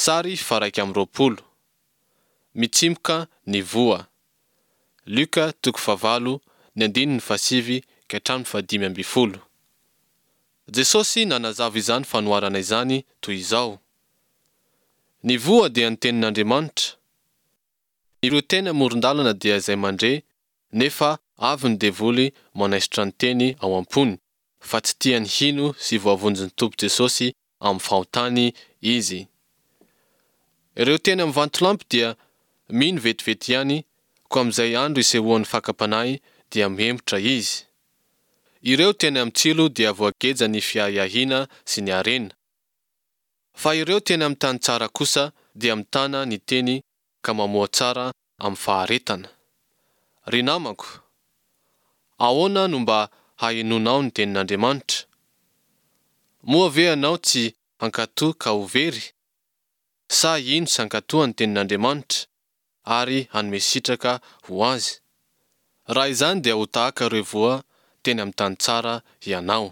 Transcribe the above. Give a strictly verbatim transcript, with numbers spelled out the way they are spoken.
Sary faharaika amby roapolo. Mitsimoka ny voa. Lioka toko fahavalo ny andininy fahasivy ka hatramin'ny fahadimy ambin'ny folo. Jesosy nanazava izany fanoharana izany toy izao. Ny voa dia ny tenin'Andriamanitra. Ireo teny amoron-dalana dia izay mandre nefa avy ny devoly manaisotra ny teny ao am-pony fa tsy tiany hino sy voavonjin'ny Tompo Jesosy amin'ny fahotany izy. Ireo teny amin'ny vatolampy dia mino vetivety ihany koa amin'izay andro isehoan'ny fakam-panahy dia mihemotra izy. Ireo teny amin'ny tsilo dia voageja ny fiahiahiana sy ny harena. Fa ireo teny amin'ny tany tsara kosa dia mitana ny teny ka mamoa tsara amin'ny faharetana. Ry namako, ahoana no mba hahenoanao ny tenin'Andriamanitra? Moa ve ianao tsy hankatò ka ho very? Sa hino sy hankatò ny tenin'Andriamanitra ary hanome sitraka ho azy? Raha izany dia ho tahaka ireo voa teny amin'ny tany tsara ianao.